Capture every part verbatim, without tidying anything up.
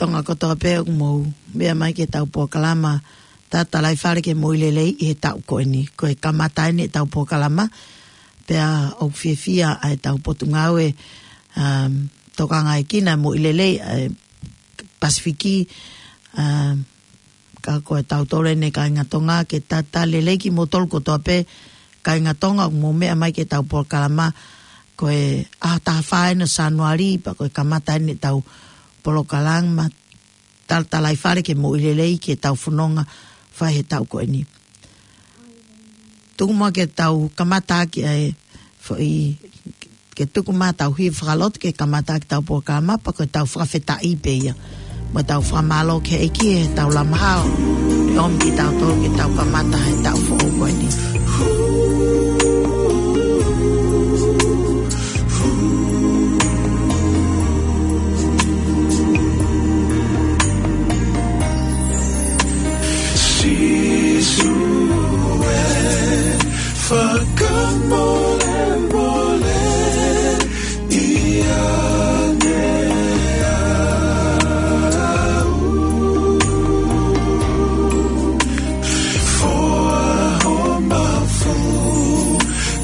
Ngā kotoa pē ʻoku mou meʻa mai ki heʻetau polokalama Tatalaifale ke Moʻui Lelei ʻi he taʻu ko eni. Ko e kamata eni ʻetau polokalama, pea ʻoku fiefia ʻa ʻetau potungāue, um, tokangaekina moʻui lelei ʻa e Pasifiki, um, ka ko e tautolu eni kāinga Tonga, ke talitali lelei kimoutolu kotoa pē kāinga Tonga ʻoku mou meʻa mai ki heʻetau polokalama. Ko e ʻaho taha fā eni ʻo Sānuali, pea ko e kamata eni ʻetau polokalama Tatalaifale ke Moʻui Lelei ki heʻetau fononga fai he taʻu ko eni. Tuku muʻa ke tau kamata ʻaki ʻa e foʻi, ke tuku mai ʻetau hiva fakalotu ke kamata ʻaki ʻetau polokalama, pea ko ʻetau fakafetaʻi pē ia. Mo ʻetau fakamālō ki he ʻEiki he tau lama hao, ʻe ʻomi kitautolu ke tau kamata he taʻu foʻou ko eni. Sīsū ē, fakamolemole ʻiate au. Foaki ho mafu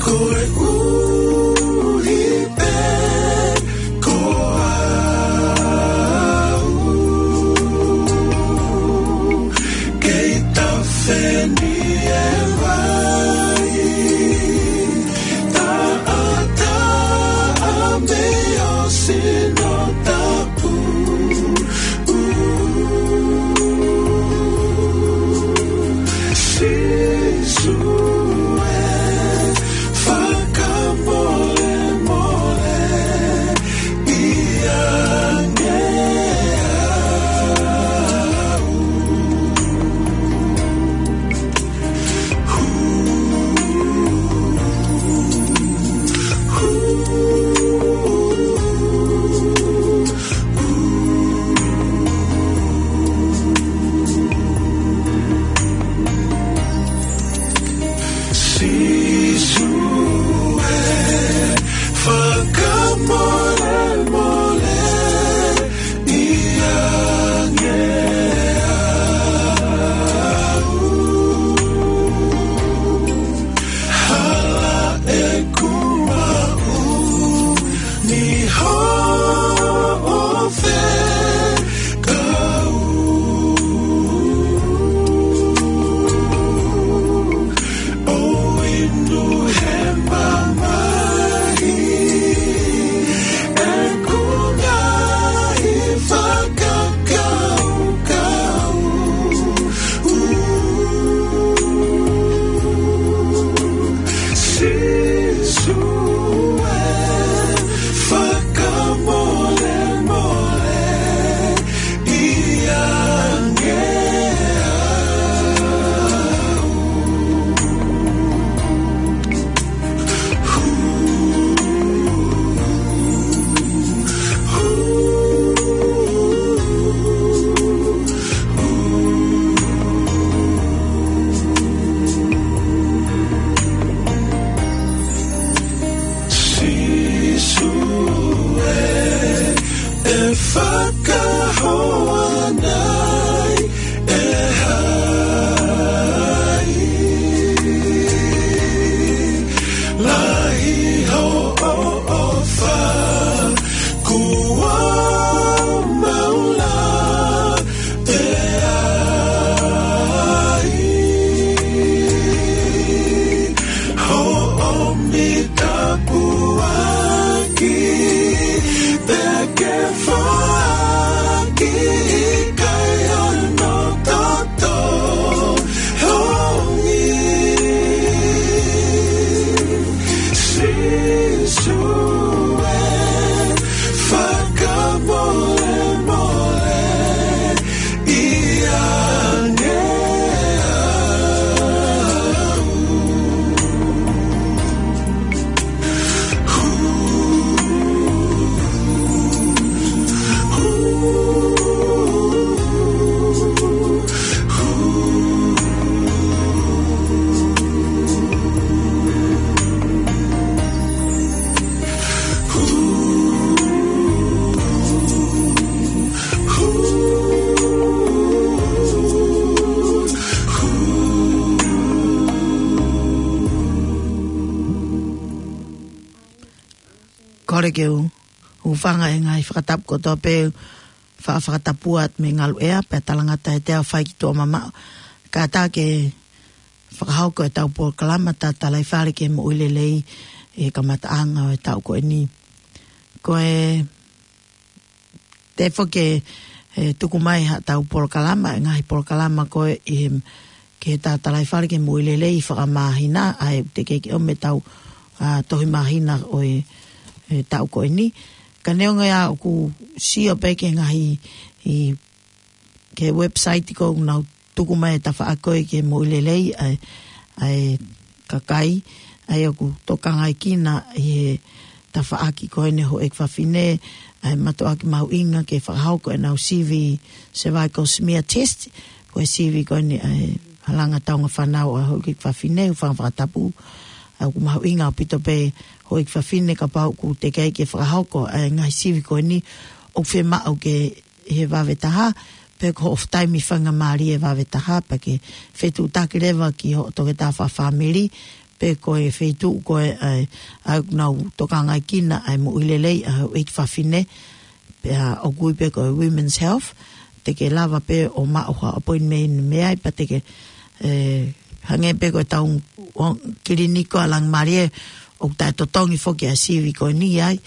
koeʻuhi pē ko au. Kei tafe ni e vai taʻataʻa mei ho sino tapu. Sīsū ē, fakamolemole ʻiate au. Sīsū ē, fakamolemole ʻiate au. Hala ʻeku maʻu ni hoʻo fekau. ʻO inu he mamahi ʻeku ngaahi fakakaukau. Sīsū ē, fakamolemole ʻiate au. Sīsū ē, ʻe fakahoa nai ʻe hai? Lahi hoʻo ʻofa, kuo mau lava ʻe ai hoʻo mitapuaki, pea ke foaki ʻikai hono toto hongi. Sīsū ē, fakamolemole ʻiate au. Kole ke u, u hūfanga he ngaahi fakatapu kotoa pē, fa-, fakatapu atu mei Ngaluʻea, pea talangata ʻe toe fai ki tuʻa mamaʻo. Kātaki fakahoko ʻetau polokalama Tatalaifale ki he Moʻui Lelei he kamataʻanga ʻo e taʻu ko eni. Ko e, tefo ke, e, tuku mai haʻatau polokalama, e ngaahi polokalama ko ē ʻi he, ki he Tatalaifale ki he Moʻui Lelei fakamāhina, ʻa ia ʻoku teʻeki ke ʻomi ʻetau, a, tohi māhina ʻo e, e taʻu ko eni. Ka neongo ia ʻoku sio pē ki he ngaahi, ʻi, ki he website ko ē ʻoku nau tuku mai e tafaʻaki ko ē ki he moʻui lelei ʻa e, ʻa e kakai, ʻa ia ʻoku tokangaekina ʻi he tafaʻaki ko eni houʻeiki fafine, ʻa e mātuʻaki mahuʻinga ke fakahoko ʻenau sivi cervical smear test, ko e sivi ko eni ʻa e halanga taunga fānau ʻa e houʻeiki fafine, hūfanga fakatapu. ʻA ia ʻoku mahuʻinga ʻaupito pē houʻeiki fafine kapau ʻoku teʻeki ai ke fakahoko ʻa e ngaahi sivi ko eni, ʻoku fiemaʻu ke ʻi he vave taha, pe ko hoʻo taimi faingamālie vave taha, pea ke fetuʻutaki leva ki hoʻo toketā fakafāmili, pe ko e feituʻu ko ē ʻa e, ʻa ia ʻoku nau tokangaekina ʻa e moʻui lelei ʻa e houʻeiki fafine, pea ʻoku ui pē ko e Women's Health, te ke lava pē ʻo maʻu ha appointment mei ai, pea te ke, e, hangē pē ko ʻetau kiliniki ʻa Langimālie, ʻoku taʻetotongi foki ʻa e sivi ko eni ai,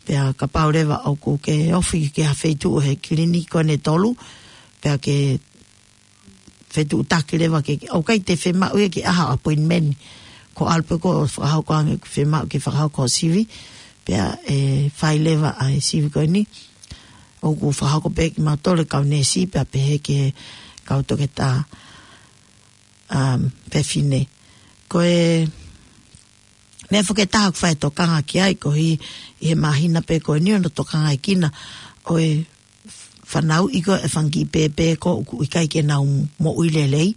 pea kapau leva ʻoku ke ofi ki ha feituʻu he kiliniki ko eni ʻe tolu, pea ke fetuʻutaki leva ke, ʻoku ʻikai te fiemaʻu ia ke ʻai ha appointment. Ko e ʻalu pē koe ʻo fakahoko ange ʻoku fiemaʻu ke fakahoko sivi, pea ʻe fai leva ʻa e sivi ko eni. ʻOku fakahoko pē ʻe kimautolu e kau neesi pea pehē ki he kau toketā, um, fefine. Ko e meʻa foki ʻe taha ʻoku fai e tokanga ki ai, koeʻuhi ʻi he māhina pē ko eni ʻoku nau tokangaekina ʻa e fanauʻi ko ē e fanga kiʻi pēpē ko ē ʻoku ʻikai ke nau moʻui lelei,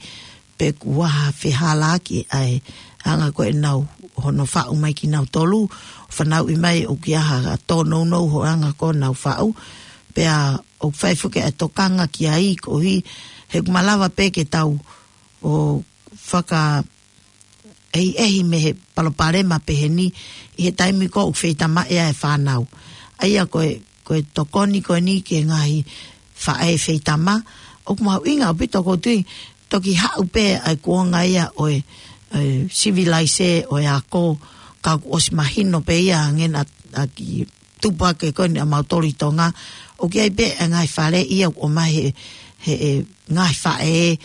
pe kuo ʻi ai ha fehālaaki ʻa e anga ko ē ʻenau hono faʻu mai kinautolu, fanauʻi mai ʻoku ʻi ai ha tōnounou hono anga ko ē ʻenau faʻu, pea ʻoku fai foki e tokanga ki ai koeʻuhi he ʻoku malava pē ke tau ʻo faka ʻehiʻehi mei he palopalema pehē ni ʻi he taimi ko ē ʻoku feitamaʻi ai e fānau. ʻA ia ko e, ko e tokoni ko eni ki he ngaahi faʻē feitama, ʻoku mahuʻinga ʻaupito ʻoku ou tui, toki haʻu pē ʻa e kuonga ia ʻo e, e, sivilaise ʻo e ako, ka kuo ʻosi mahino pē ia hangē naʻa, naʻa ki tupu hake ko eni ʻa mautolu ʻi Tonga, ʻoku ʻi ai pē e ngaahi fale ia ʻoku ʻomai he, he, e, ngaahi faʻē,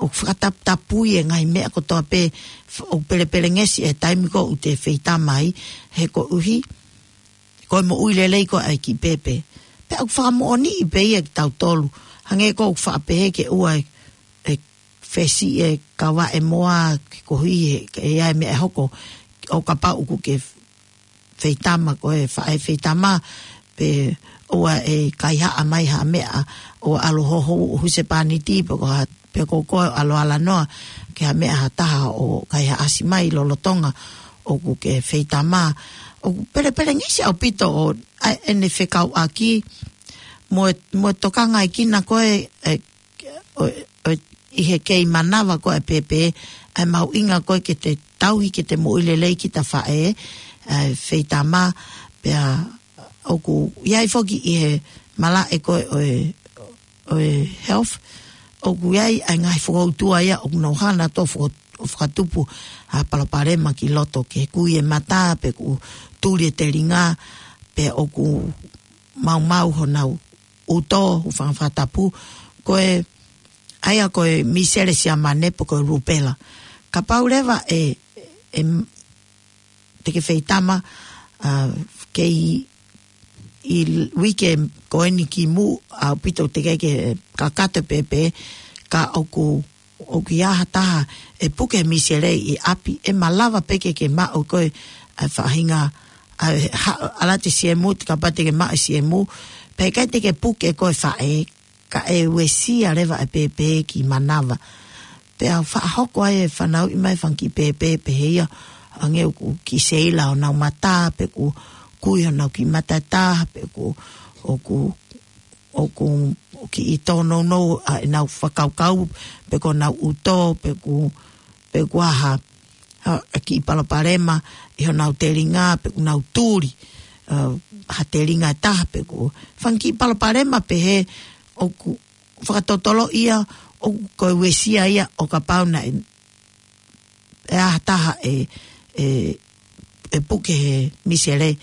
ʻoku fakataputapui e ngaahi meʻa kotoa pē, f-, ʻoku pelepelengesi e taimi ko ē ʻoku te feitama ai, he koeʻuhi ko e moʻui lelei ko ē ʻa e kiʻi pēpē. Pea ʻoku fakamoʻoniʻi pē ia kiate kitautolu, hangē ko ē ʻoku faʻa pehē ke ʻoua e, e fesi e kava e moa ke koeʻuhi he, ke ʻi ai e meʻa ʻe hoko, ʻo kapau ʻoku ke feitama ko e faʻē feitama, pe ʻoua ʻe kaihaʻa mai ha meʻa, ʻoua ʻe ʻalu hoho husepāniti, pe ko ha, pe ko koe ʻalu ʻalanoa ki ha meʻa ha taha ʻo kaihaʻasi mai lolotonga ʻoku ke feitama. ʻOku pelepelengesi ʻaupito ʻa e, ʻa ʻene fekauʻaki mo e, mo e tokangaekina ko ē, e, ʻo, ʻo, ʻi he kei manava ko ē e pēpē, ʻa e mahuʻinga ko ē ke te tauhi ke te moʻui lelei kita faʻē, ʻa e feitama, pea ʻoku ʻi ai foki ʻi he malaʻe ko ē ʻo e, ʻo e health, ʻoku ʻi ai ʻa e ngaahi fokoutua ia ʻoku nau hanga ʻo foko-, ʻo fakatupu ha palopalema ki loto, ke kui e mata, pe ʻoku tuli e telinga, pe ʻoku maumau honau ʻuto, hūfanga fakatapu, ko e, ʻa ia ko e misele siamane pe ko e rupela. Kapau leva e, e, te ke feitama, a, kei ʻi uike ko eni ki muʻa ʻaupito teʻeki ke kakato e pēpē, ka ʻoku ʻoku ʻi ai ha taha ʻe puke e misele ʻi ʻapi, ʻe malava pē ke ke maʻu ko ē ʻa e faʻahinga, ʻa e ha-, ʻalu atu e siemu, te kapau te ke maʻu e siemu, pea ʻikai te ke puke ko ē faʻē, ka ʻe uesia leva e pēpē ki manava. Pea fakahoko ai e fanauʻi mai e fanga kiʻi pēpē pehē ia, hangē ʻoku kiʻi seila honau mata, pe ʻoku kui honau kiʻi mata ʻe taha, pe ʻoku, ʻoku ʻoku, ʻoku kiʻi tōnounou ʻa ʻenau fakakaukau, pe ko honau ʻuto, pe ʻoku, pe ʻoku ʻi ai ha, ha, ha kiʻi palopalema ʻi honau telinga, pe ʻoku nau tuli. ʻa, ha telinga ʻe taha pe ko e fanga kiʻi palopalema pehē ʻoku fakatotolo ia ʻoku ko e uesia ia ʻo kapau naʻe, ʻe ʻi ai ha taha ʻe, ʻe, ʻe puke he misele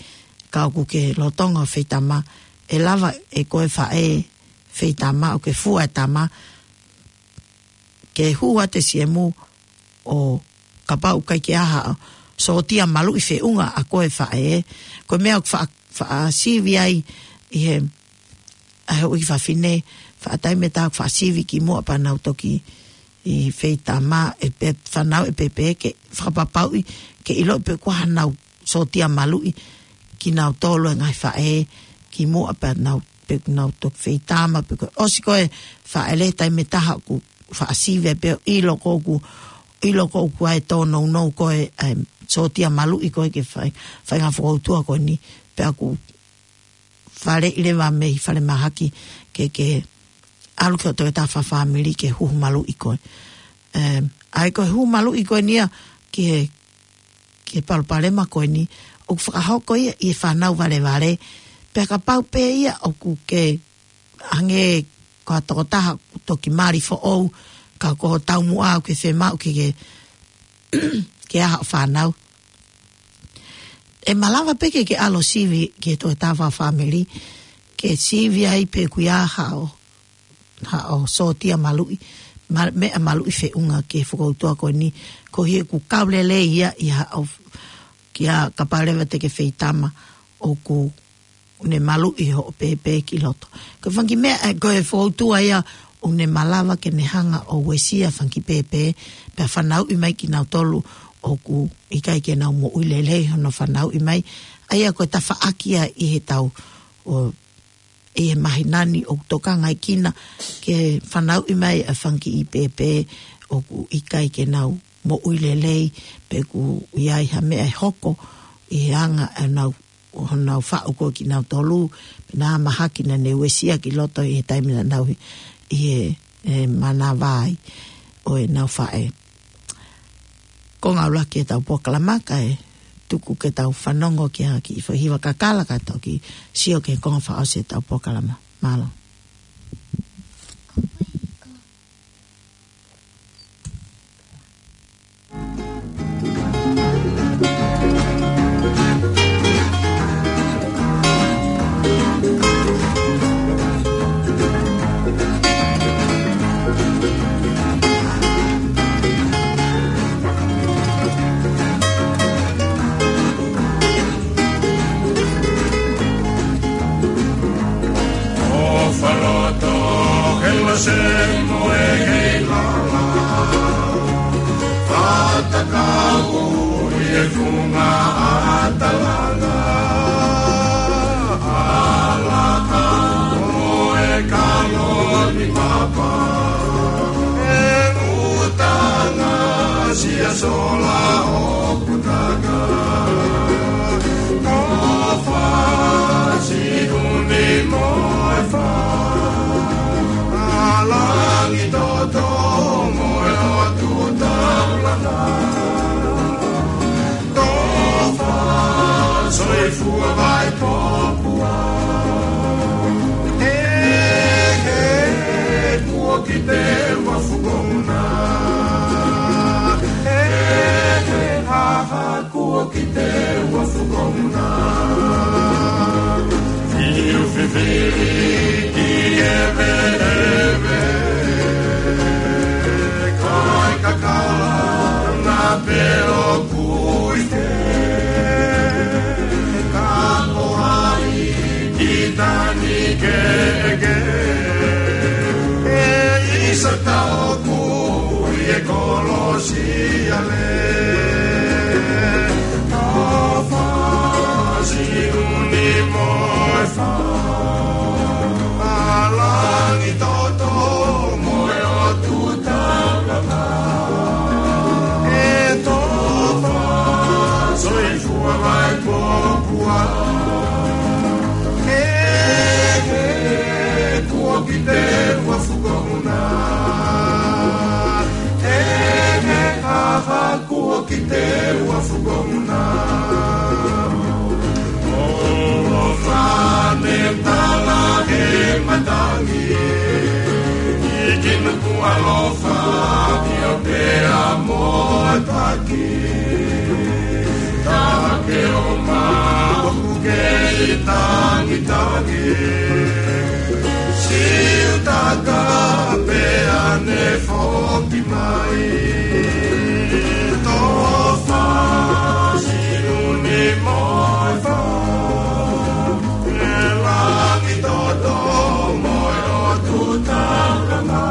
ka ʻoku ke lolotonga feitama, ʻe lava ʻe koe faʻē feitama ʻo ke fua e tama ke hū atu e siemu ʻo kapau ʻoku ʻikai ke ʻi ai ha sōtia maluʻi feʻunga ʻa koe faʻē. Ko e meʻa ʻoku faʻa, faʻa sivi ai ʻi he, ʻa e houʻeiki fafine, faʻa taimi ʻe taha ʻoku faʻa sivi kimuʻa pea nau toki ʻi feitama ʻe pe-, fanauʻi pē pē ke fakapapauʻi ke ʻiloʻi pe ʻoku ʻi ai haʻanau sōtia maluʻi kinautolu e ngaahi faʻē kimuʻa pea nau, pe nau toki feitama pe ko e ʻosi ko e faʻele taimi ʻe taha ʻoku faʻa sivi ai pē ʻo ʻilo ko ʻoku, ʻilo ko ʻoku ʻi ai e tōnounou ko e, ʻa e sōtia maluʻi ko ē ke fai, fai ngaahi fokoutua ko eni pea ʻoku faleʻi leva mei falemahaki ke, ke ʻalu ki hoʻo tokotaha fakafāmili ke huhu maluʻi koe. Em, ʻa ia ko e huhu maluʻi ko eni ia ki he, ki he palopalema ko eni, ʻoku fakahoko ia ʻi he fānau valevale, pea kapau pē ia ʻoku ke hangē ko ha tokotaha ʻoku toki mali foʻou, ka ko e taumuʻa ʻoku ke fiemaʻu ke, ke, ke ʻi ai haʻo fānau. ʻE malava pē ke ke ʻalu ʻo sivi ki he tokotaha fakafāmili, ke sivi ai pe ʻoku ʻi ai haʻo, haʻo sōtia maluʻi, ma-, meʻa maluʻi feʻunga ki he fokoutua ko eni, koeʻuhi ʻoku kau lelei ia ʻi haʻo, kia kapau leva te ke feitama ʻoku ne maluʻi hoʻo pēpē ki loto. Ko e fanga kiʻi meʻa, ʻa e, ko e fokoutua ia ʻoku ne malava ke ne hanga ʻo uesia fanga kiʻi pēpē, pea fanauʻi mai kinautolu ʻoku ʻikai ke nau moʻui lelei hono fanauʻi mai. ʻA ia ko e tafaʻaki ia ʻi he tau, ʻo, ʻi he māhina ni ʻoku tokanga ai kina ke fanauʻi mai ʻa e fanga kiʻi pēpē ʻoku ʻikai ke nau moʻui lelei, pe ʻoku ʻi ai ha meʻa ʻe hoko ʻi he anga ʻenau, ʻo honau faʻu ko ē kinautolu, pe naʻa mahaki naʻa ne uesia ki loto ʻi he taimi naʻa nau ʻi he, ʻe, manava ai ʻo ʻenau faʻē. Ko e ngāue ʻa e tau polokalama kae tuku ke tau fanongo ki ha kiʻi foʻi hiva kakala kae toki sio ki he konga fakaʻosi ʻetau polokalama. Mālō. ʻO faloto he lase mo e hei lala. Fatakau ʻi he funga ʻa Talanga. ʻAlaka mo e kaloni papa. ʻE utanga sia sola ʻoku taka. Tofa Siʻuni mo e fā. ʻA Langitoto mo e ʻOtu Taulanga. Tofa Soifua Vaipopua. He, he, kuo kite ua fukomuna. He, he, ha, ha, kuo kite ua fukomuna. Fiu fifili ki ʻeveʻeve. Kai kakala na pelo kuite. Ka ko hai ki tani keʻeke. ʻE isa tau kui e kolosi ale. Tofa Siʻuni mo e fā. ʻA Langitoto mo e ʻOtu Taulanga. ʻE Tofa Soifua Vaipopua. He, he, kuo kite ua fukomuna. He, he, ha, ha, kuo kite ua fukomuna. ʻO Fāmio pea mo e taki. Take o maku ke i tangitangi. Siutaka pea ne foki mai. Tofa siʻu ni mo e fā. E langi toto mo e ʻotu taukanga.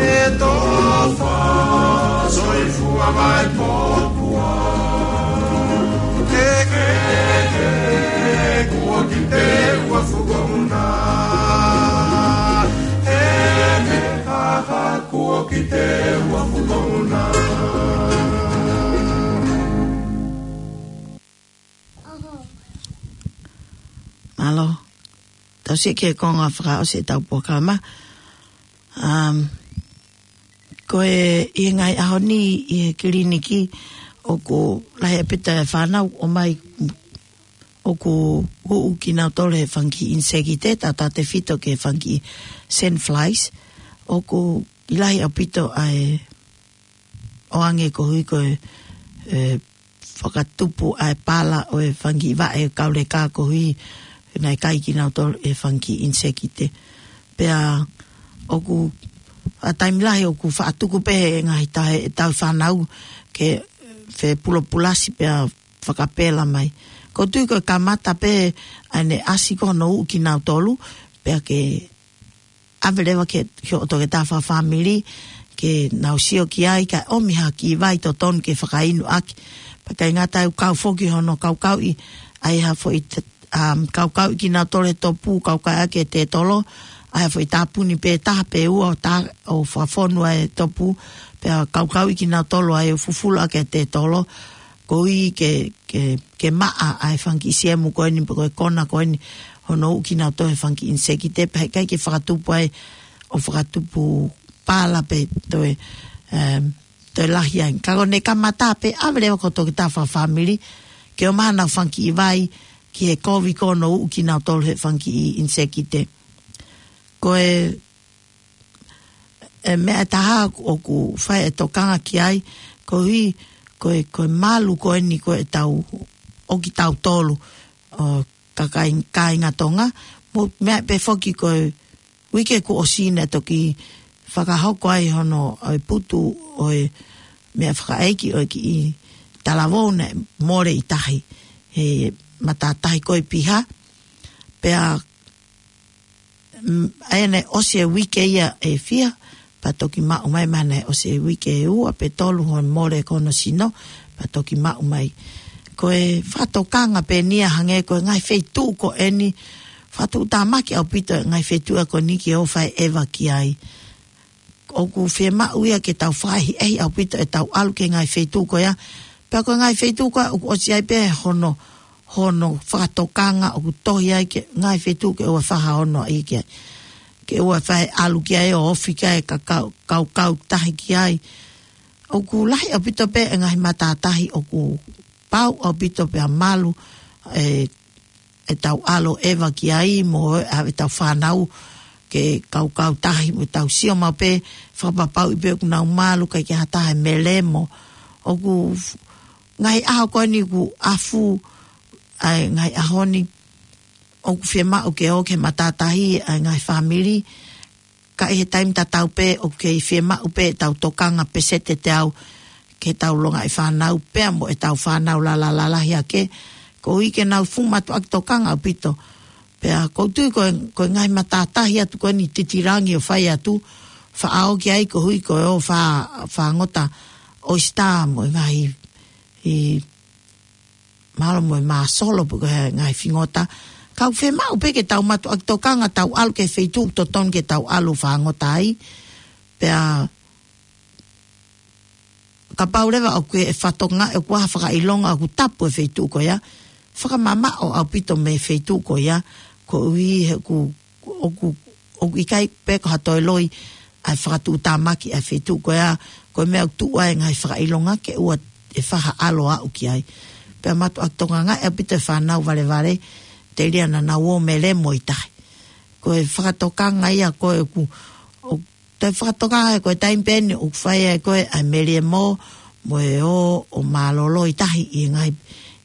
E tofa soifua mai popua. He, he, he, kuo ki te ua fukauna. He, he, ha, ha, kuo ki te ua fukauna. Mālō. Tau sio ki he konga fakaʻosi ʻetau polokalama. Um, ko e ʻi he ngaahi ʻaho ni ʻi he kiliniki ʻoku lahi ʻaupito e fānau ʻomai ʻoku huʻu kinautolu he fanga kiʻi ʻinisekite, tautautefito ki he fanga kiʻi sand flies, ʻoku lahi ʻaupito ʻa e ʻoange koeʻuhi ko e, e, fakatupu ʻa e pala ʻo e fanga kiʻi vaʻe kauleka koeʻuhi naʻe kai kinautolu ʻe he fanga kiʻi ʻinisekite. Pea ʻoku, ʻa e taimi lahi ʻoku faʻa tuku pē he ngaahi taha ʻetau fānau ke fepulopulasi pea fakapela mai. Ko e tui ko e kamata pē ʻa ʻene ʻasi ko hono huʻu kinautolu, pea ke ʻave leva ki he, ki hoʻo toketā fakafāmili, ke nau sio ki ai, kae ʻomi ha kiʻi vai totonu ke fakainu ʻaki. Pea ʻikai ngata ai, ʻoku kau foki hono kaukauʻi ʻa e ha foʻi t-, um, kaukauʻi kinautolu he topu, kaukauʻi ʻaki e tētolo, ʻa e ha foʻi tāpuni pē taha pe ua ʻo tā-, ʻo fakafonu ʻa e topu, pea kaukauʻi kinautolu ʻa e ʻo fufulu ʻaki e tētolo, koeʻuhi ke, ke, ke maʻa ʻa e fanga kiʻi siemu ko eni, pe ko e kona ko eni, hono huʻu kinautolu he fanga kiʻi ʻinisekite, pea heʻikai ke fakatupu ai, ʻo fakatupu pala pe toe, em, toe lahi ai. Ka ko ʻene kamata pē, ʻave leva ki hoʻo toketā fakafāmili, ke ʻomai haʻanau fanga kiʻi vai, ki he kovi ko hono huʻu kinautolu he fanga kiʻi ʻinisekite. Ko e e meʻa ʻe taha ʻoku fai e tokanga ki ai, koeʻuhi, ko e, ko e malu ko eni ko ʻetau, ʻo kitautolu, ʻo kakai, kāinga Tonga, mo e meʻa pē foki ko e uike kuo ʻosi naʻe toki fakahoko ai hono, ʻo e putu, ʻo e meʻa fakaʻeiki, ʻo e kiʻi talavou naʻe mole ʻi tahi, he matātahi ko e piha, pea Mm, ʻa ia naʻe ʻosi e uike ia ʻe fiha, pea toki maʻu mai, mahalo naʻe ʻosi e uike ʻe ua pe tolu hono mole ko hono sino, pea toki maʻu mai. Ko e fakatokanga pē eni ia hangē ko e ngaahi feituʻu ko eni, fakatuʻutāmaki ʻaupito e ngaahi feituʻu ko eni ke ō fai ʻeva ki ai. ʻOku fiemaʻu ia ke tau fakaʻehiʻehi ʻaupito ʻetau ʻalu ki he ngaahi feituʻu ko ia. Pea ko e ngaahi feituʻu ko ia ʻoku ʻosi ai pē hono, hono fakatokanga ʻoku tohi ai ki he ngaahi feituʻu ke ʻoua fai ha ono ʻi ki ai. Ke ʻoua fai ʻalu ki ai ʻo ofi ki ai ka kau, kau, kau tahi ki ai. ʻOku lahi ʻaupito pē e ngaahi matātahi ʻoku pau ʻaupito pea malu e ʻetau ʻalu ʻeva ki ai mo e ʻave ʻetau fānau ke kaukau tahi mo tau sio maʻu pē fakapapauʻi pē ʻoku nau malu ʻikai ke ha taha ʻe melemo. ʻOku f-, ngaahi ʻaho ko eni ʻoku afu ai ngaahi ʻaho ni ʻoku fiemaʻu ke ō ki he matātahi ʻa e ngaahi fāmili. Ka ʻi he taimi tatau pē ʻoku kei fiemaʻu pē ʻetau tokanga peseti ʻe teau ke tau longaʻi fānau pea mo ʻetau fānau lala lalahi ake. Koeʻuhi ke nau fuʻu mātuʻaki tokanga ʻaupito. Pea ʻoku ou tui ko e, ko e ngaahi matātahi atu ko eni titilangi ʻo fai atu, faʻa ō ki ai koeʻuhi ko e ō fā, fāngota ʻoisitā mo e ngaahi ʻi mālō mo e māsolo pe ko e ngaahi fingota. Ka ʻoku fiemaʻu pē ke tau mātuʻaki tokanga tau ʻalu ki he feituʻu totonu ke tau ʻalu fāngota ai. Pea kapau leva ʻoku ke fakatokangaʻi ʻoku ʻi ai ha fakaʻilonga ʻoku tapu e feituʻu ko ia, fakamamaʻo ʻaupito mei he feituʻu ko ia, koeʻuhi he ʻoku ʻoku, ʻoku ʻikai pē ko ha toe loi ʻa e fakatuʻutāmaki ʻa e feituʻu ko ia, ko e meʻa ʻoku tuʻu ai e ngaahi fakaʻilonga ke ʻoua ʻe fai ha ʻalu ʻo aʻu ki ai. Pea mātuʻaki tokangaʻi ʻaupito e fānau valevale, telia naʻa nau ō melemo ʻi tahi. Ko e fakatokanga ia ko ē ʻoku, ʻoku Ko e fakatokangaʻi ko e taimi pē ʻeni ʻoku fai ai ko ē ʻa e meliemo mo e ō ʻo mālōlō ʻi tahi ʻi he ngaahi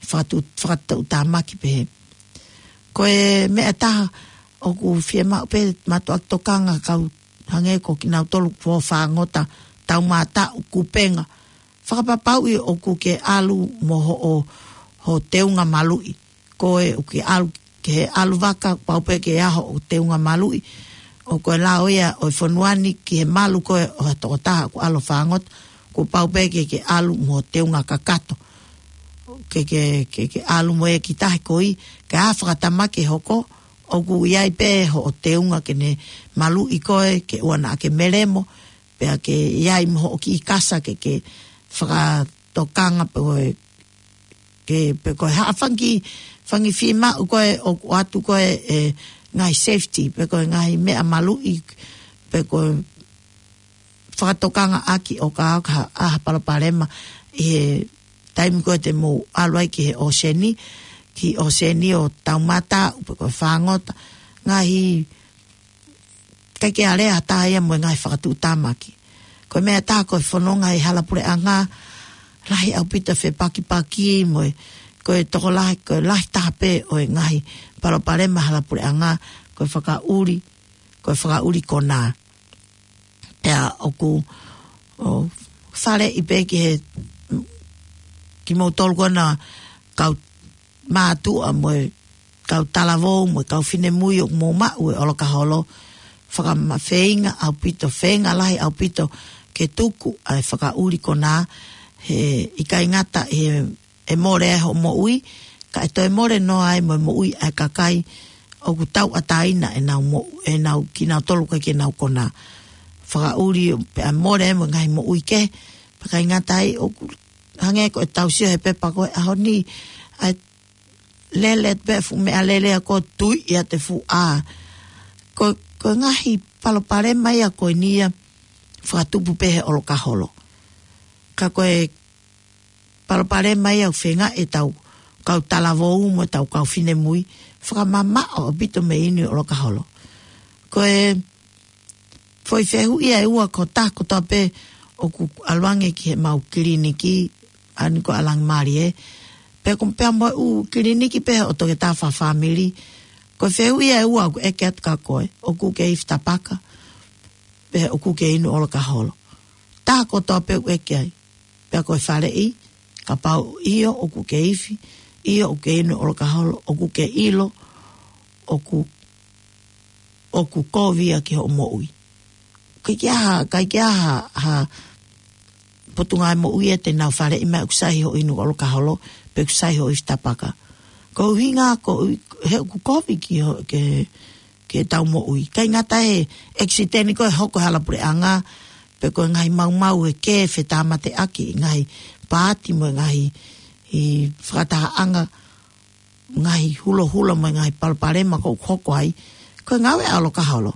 fakatu-, fakatuʻutāmaki pehē. Ko e meʻa ʻe taha ʻoku fiemaʻu pē mātuʻaki tokanga kau hangē ko kinautolu kuo fāngota, taumātaʻu, kupenga. Fakapapauʻi ʻoku ke ʻalu mo hoʻo, hoʻo teunga maluʻi. Ko e ʻoku ke ʻalu, ke ʻalu vaka, pau pē ke ʻaho ʻo teunga maluʻi. ʻOku ʻi ai e lao ia ʻo e fonua ni ki he malu ko ē ʻo ha tokotaha ʻoku ʻalu fāngota, kuo pau pē ke, ke ʻalu mo teunga kakato. Ke, ke, ke, ke ʻalu mo ia ki tahi koeʻuhi, ka ʻi ai ha fakatamaki ʻe hoko, ʻoku ʻi ai pē hoʻo teunga ke ne maluʻi koe, ke ʻoua naʻa ke meliemo, pea ke ʻi ai mo hoʻo kiʻi kasa ke, ke fakatokanga pe ko e, ke, pe ko e hā fanga kiʻi, fanga kiʻi fiemaʻu ko ē ʻoku ʻoatu ko ē ʻe he ngaahi safety, pe ko e ngaahi meʻa maluʻi, pe ko e fakatokangaʻaki ʻo ka ʻi ai ha, ha palopalema ʻi he taimi ko ē te mou ʻalu ai ki he ʻōseni, ki he ʻōseni ʻo taumātaʻu, pe ko e fāngota, ngaahi, ʻikai ke ʻi ai ha taha ia mo e ngaahi fakatuʻutāmaki. Ko e meʻa ʻe taha ko e fononga ʻi he hala puleʻanga, lahi ʻaupito e fepakipaki mo e, ko e tokolahi, ko e lahi taha pē ʻo e ngaahi palopalema hala puleʻanga, ko e fakaʻuli, ko e fakaʻuli konā. Pea ʻoku, ʻo, faleʻi pē ki he, kimoutolu ko ena kau mātuʻa mo e kau talavou mo e kau finemui ʻoku mou maʻu e ʻolokaholo, fakamafeinga ʻaupito, feinga lahi ʻaupito ke tuku ʻa e fakaʻuli konā, he ʻikai ngata he ʻe mole ai hoʻo moʻui, ka ʻe toe mole noa ai mo e moʻui ʻa e kakai ʻoku tauʻatāina ʻenau moʻu-, ʻenau kinautolu ʻikai ke nau konā. Fakaʻuli pea mole ai mo e ngaahi moʻui kehe, pea ʻikai ngata ai ʻoku hangē ko e tau sio he pepa ko e ʻaho ni, ʻa e lele pē fuʻu meʻalele ia ko e tui ia te fuʻu ʻā. Ko, ko e ngaahi palopalema ia ko eni ia fakatupu pē he ʻolokaholo. Ka ko e palopalema ia ʻoku feinga ʻetau kau talavou mo ʻetau kau finemui, fakamamaʻo ʻaupito mei he inu ʻolokaholo. Ko e foʻi fehuʻi ʻe ua ko e taha kotoa pē ʻoku ʻalu ange ki heʻemau kiliniki, ʻa eni ko ʻAlangimalie. Pea ko e pea mo e ʻū kiliniki pē ʻo e toketā fakafāmili. Ko e fehuʻi ʻe ua ʻoku ʻeke atu kia koe, ʻoku ke ifi tapaka, pe ʻoku ke inu ʻolokaholo. Taha kotoa pē ʻoku ʻeke ai. Pea ko e faleʻi, kapau ʻio ʻoku ke ifi, ʻio ʻoku ke inu ʻolokaholo, ʻoku ke ʻilo ʻoku, ʻoku kovi ia ki hoʻo moʻui. ʻIkai ke ʻi ai ha, ʻikai ke ʻi ai ha, ha potungāue moʻui ia te nau faleʻi mai ʻoku sai hoʻo inu ʻolokaholo, pe ʻoku sai hoʻo ifi tapaka. Ko e ʻuhinga ko e, he ʻoku kovi ki ho-, ke, ke tau moʻui. ʻIkai ngata he ʻekisiteni ko ē ʻe hoko he hala puleʻanga, pe ko e ngaahi maumau ʻe kē fetāmateʻaki, ngaahi paati mo e ngaahi, ʻi fakatahaʻanga, ngaahi hulohula mo e ngaahi palopalema ʻoku hoko ai, ko e ngāue ʻa e ʻolokaholo.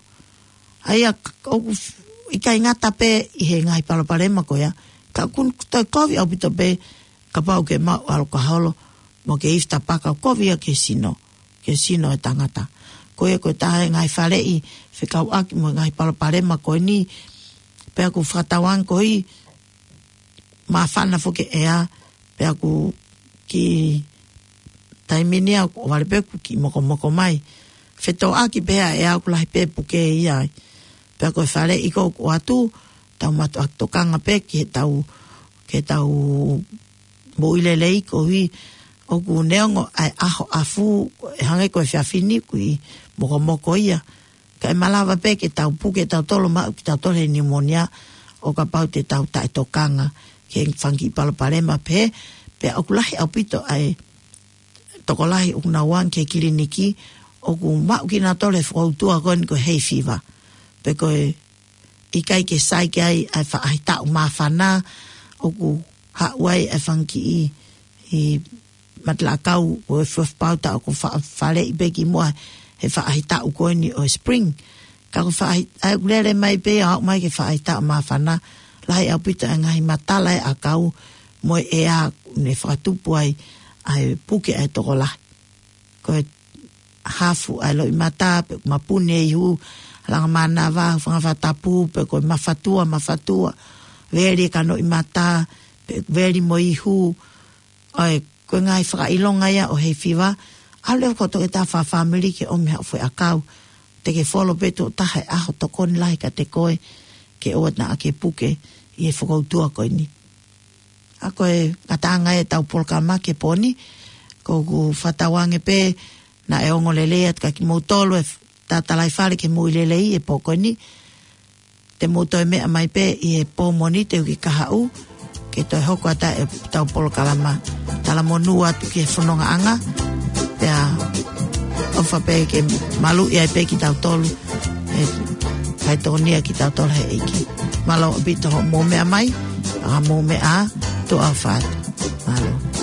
ʻA ia ʻoku f-, ʻikai ngata pē ʻi he ngaahi palopalema ko ia, ka ʻoku toe kovi ʻaupito pē kapau ke maʻu ʻolokaholo, mo ke ifi tapaka, kovi ia ki he sino, ki he sino ʻo e tangata. Ko ia ko e taha e ngaahi faleʻi fekauʻaki mo e ngaahi palopalema ko eni, pea ʻoku fakatauange koeʻuhi māfana foki e ʻea, pea ʻoku kiʻi taimi ni ʻoku ʻohovale pē ʻoku kiʻi mokomoko mai. Fetōʻaki pē ʻa e ʻea ʻoku lahi pē puke ia ai. Pea ko e faleʻi ko ē ʻoku ʻoatu, tau mātuʻaki tokanga pē ki heʻetau, ki heʻetau moʻui lelei koeʻuhi ʻoku neongo ʻa e ʻaho ʻafu, ʻe hangē ko e efiafi ni ʻoku kiʻi mokomoko ia. Ka ʻe malava pē ke tau puke tautolu, maʻu kitautolu he niumonia ʻo kapau te tau taʻetokanga ki he fanga kiʻi palopalema pehē, pea ʻoku lahi ʻaupito ʻa e tokolahi ʻoku nau ō ange ki he kiliniki, ʻoku maʻu kinautolu he fokoutua ko eni ko e hay fever. Pe ko e ʻikai ke sai ki ai ʻa e faʻahitaʻu māfana, ʻoku haʻu ai ʻa e fanga kiʻi, ʻi matalaʻakau ʻo e fuafupauta ʻoku fa-, faleʻi pē kimuʻa he faʻahitaʻu ko eni ʻo e spring. Ka ko e faʻahi-, ʻa ia ʻoku lele mai pē ʻo aʻu mai ki he faʻahitaʻu māfana, lahi ʻaupito ʻa e ngaahi matala ʻa e ʻakau mo e ʻea ʻoku ne fakatupu ai ʻa e puke ʻa e tokolahi. Ko e hafu ʻa e loʻimata, pe ʻoku mapuni e ihu, Langa mānava, hūfanga he fakatapu, pe ko e mafatua, mafatua, veli e kanoʻi mata, pe veli mo e ihu, ʻa e, ko e ngaahi fakaʻilonga ia ʻo e hay fever, ʻalu leva ki hoʻo toketā fakafāmili ke ʻomi haʻo foʻiʻakau, te ke folo pē tuʻo taha he ʻaho, tokoni lahi kiate koe, ke ʻoua naʻa ke puke ʻi he fokoutua ko eni. ʻA ko e ngataʻanga ʻetau polokalama ki he pō ni, ko ʻeku fakatauange pē naʻe ongo lelei atu kia kimoutolu e f-, tatalaifale ke mou ʻi lelei he pō ko eni. Te mou toe meʻa mai pē ʻi he pō Mōnite ʻoku kahaʻu, ke toe hoko atu ʻetau polokalama. Talamonū atu ki he fonongaʻanga, pea ʻofa pē ke maluʻi ai pē kitautolu, ʻe faitokonia kitautolu he ʻEiki. Mālō ʻaupito hoʻomou meʻa mai, ʻa mou meʻa, tuʻa ʻofa atu. Mālō.